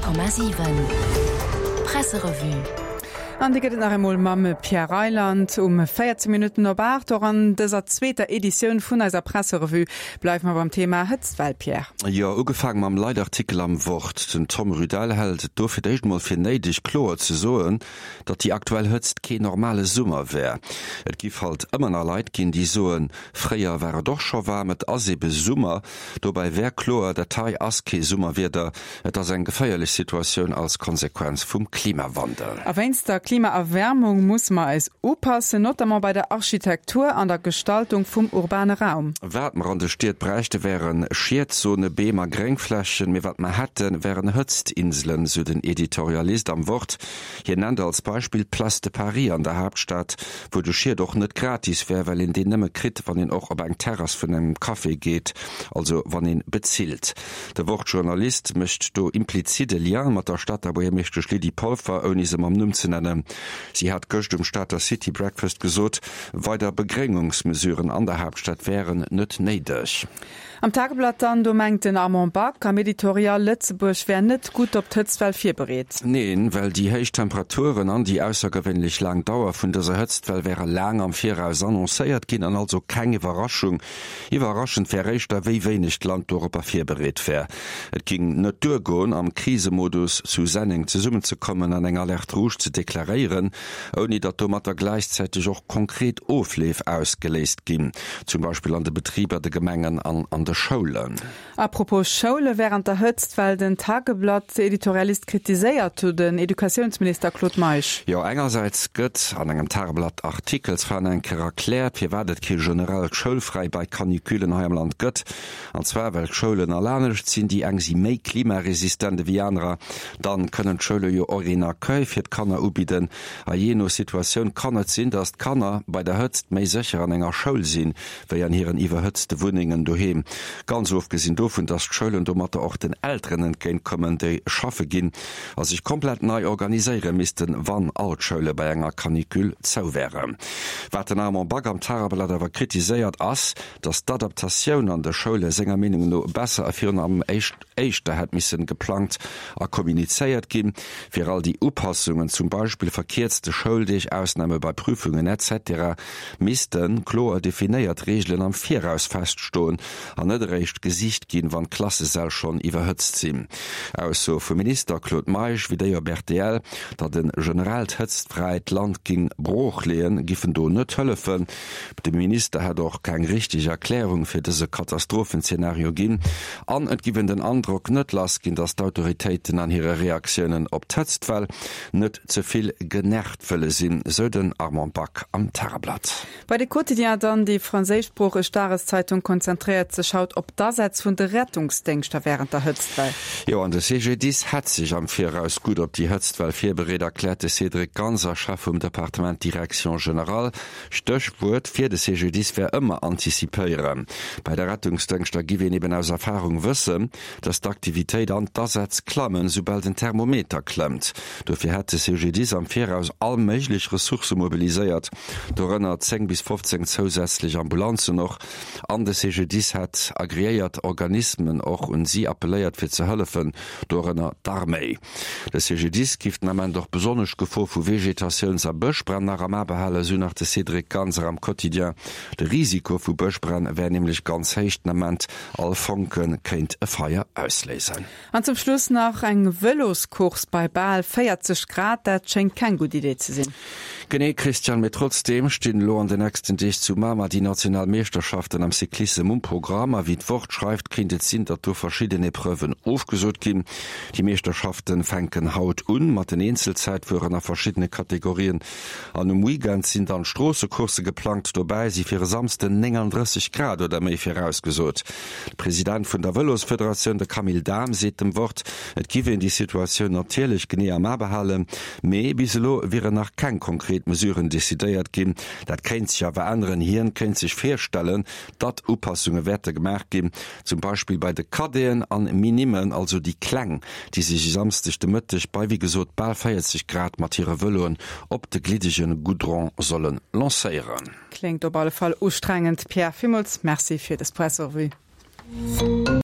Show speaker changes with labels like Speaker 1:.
Speaker 1: 100,7 Presserevue.
Speaker 2: An déi gëtt et nach eemol mam Pierre Reyland um 14 Minutten op 8. Och an dëser zweeter Editioun vun eiser Presserevue bleiwe mer beim Thema Hëtztwell, Pierre.
Speaker 3: Jo, ugefaang mam Leitartikel am Wort. Den Tom Rudel hält et do fir d'éischt emol fir néideg, kloer ze soen, datt déi aktuell Hëtzt keen normale Summer wär. Et giff halt ëmmer nach Leit ginn, déi soen, fréier war et och scho waarm, et ass ebe Summer. Dobäi wär kloer, dat hei ass kee Summerwieder, et ass eng geféierlech Situatioun als Konsequenz vum Klimawandel.
Speaker 2: A wéinst der Klimaerwärmung musse mer eis upassen, notamment bei der Architektur an der Gestaltung vum urbane Raum.
Speaker 3: Wat mer an de Stied bräichte wären Schiedzone, Beem a Gréngflächen, mee wat mer hätten, wären Hëtztinselen, sou den Editorialist am Wort. Hien nennt als Beispill d'Place de Paris an der Haaptstad, wou de Schied och net gratis wär, well een deen nëmme kritt, wann een och op eng Terrass vun engem Café geet, also wann een bezilt. De Wort-Journalist mécht do implizit e Lien mat der Stater Buergermeeschtesch Lydie Polfer, ouni se mam Numm ze nennen. Si hat gëscht um Stater City Breakfast gesot, weider Begréngungsmesuren an der Haaptstad wären net néideg.
Speaker 2: Am Tageblatt dann, do mengt den Armand Back am Editorial, Lëtzebuerg wär net gutt op d'Hëtztwell virbereet.
Speaker 3: Neen, well déi héich Temperaturen an déi aussergewéinlech laang Dauer vun dëser Hëtztwell wäre laang am Viraus annoncéiert ginn an also keng Iwwerraschung. Iwwerraschend wär éischter, wéi wéineg d'Land doropper virbereet wär. Et ging net duergoen, am Krisemodus zu Senneng zesummenzekommen an eng Alerte rouge ze deklaréieren, ouni datt domatter gläichzäiteg och konkret Ofleef ausgeléist ginn, zum Beispill an de Betriber, de Gemengen an an de Schoulen.
Speaker 2: A propos Schoule wärend der Hëtztwell, den Tageblatt-Editorialist kritiséiert do den Educatiounsminister Claude Meisch.
Speaker 3: Jo, engersäits gëtt an engem Tageblatt-Artikel zwar nach eng Kéier erkläert, firwat et kee generellt Schoulfräi bei Canicullen hei am Land gëtt, an zwar well d'Schoulen all anescht sinn, déi eng si méi klimaresistent ewéi anerer, Dann kënnen d'Schoule jo och een Accueil fir d'Kanner ubidden. A jee no Situatioun kann et sinn, dass d'Kanner bei der Hëtzt méi sécher an enger Schoul sinn, wéi an hiren iwwerhëtzte Wunnengen doheem. Ganz ofgesinn dovun, dass d'Schoulen domatter och den Elteren entgéint kommen, déi schaffe ginn a sech komplett nei organiséiere missten, wann all d'Schoule bei enger Canicule zou wären. Wat den Armand Back am Tageblatt awer kritiséiert, ass, dass d'Adaptatioun an de Schoule senger Meenung no besser a virun allem éischt, éischter hätt missen geplangt a kommunizéiert ginn, fir all déi Upassungen, zum Beispill verkierzte Schouldeeg, Ausname bei Prüfungen etc. Missten kloer definéiert Reegelen am Viraus feststoen an net eréischt gesicht ginn, wann d'Klassesäll schonn iwwerhëtzt sinn. Aussoe vum Minister Claude Meisch wéi déi op rtl, datt e generellt hëtztfräit Land ging brooch leeën, giffen do net hëllefen. De Minister hätt och keng richteg Erklärung fir dëse Katastrophenzeenario ginn an et giff een den Androck net lass ginn, datt d'Autoritéiten an hire Reaktiounen op d'Hëtztwell net ze vill genervt wëlle sinn, sou den Armand Back am Tageblatt.
Speaker 2: Bei de Quotidien dann, Déi franséischsproocheg Dageszeitung konzentréiert sech haut op d'Asätz vun de Rettungsdéngschter wärend der Hëtztwell.
Speaker 3: Jo, an de CGDIS hätt sech am Viraus gutt op déi Hëtztwell virbereet, erkläert de Cédric Ganser, Chef vum Departement Direction Générale. Stéchwuert fir de CGDIS wär ëmmer antizipéieren. Bei de Rettungsdëngschter giff een eben aus Erfarung wëssen, datt d'Aktivitéit an d'Asätz klammen, soubal den Thermometer klëmmt. Dofir hätt de CGDIS am Viraus all méiglech Ressourcë mobiliséiert, dorënner 10 bis 15 zousätzlech Ambulanzen och. An de CGDIS hätt agreéiert Organismen och un si appelléiert fir ze hëllefen, dorënner d'Arméi. De CGDIS giff den Ament och besonnesch d'Gefor vu Vegetatiouns a Bëschbränn nach am A behalen, esou nach de Cédric Ganser am Quotidien. De Risiko vu Bëschbränn wär nämlech ganz héich den Ament, all Fonke kéint e Feier ausléisen.
Speaker 2: An zum Schluss nach eng Vëloscourse bei bal 40 Grad, dat schéngt keng gutt Idee ze sinn.
Speaker 3: Genee Christian, mee trotzdeem stinn elo an de nächsten Deeg zu Mamer déi national Meeschterschaften am Cyclissem um Programm. A wéi d'Wort schreift, kéint et sinn, datt do verschidden Epreuven ofgesot ginn. Déi Meeschterschaften fänken haut un mat den Eenzelzäitfueren a verschiddene Kategorien an um Weekend sinn dann Stroossecoursse geplangt. Dobäi si fir e Samsden 39 Grad oder méi virausgesot. De President vun der Vëlosfederatioun, de Camille Dahm, seet dem Wort, et giff een déi Situatioun natierlech genee am A behalen, mee bis elo wieren nach keng konkret Mesuren decidéiert ginn. Dat kéint sech awer änneren. Hien kéint sech virstellen, datt Upassunge wäerte gemaach ginn, zum Beispill bei de Cadeten an Minimen, also déi Kleng, déi sech e Samsdeg de Mëtteg bei wéi gesot bal 40 Grad mat hire Vëloen op de gliddege Goudron solle lancéieren.
Speaker 2: Kléngt op alle Fall ustrengend, Pierre. Villmools Merci fir des Presserevue.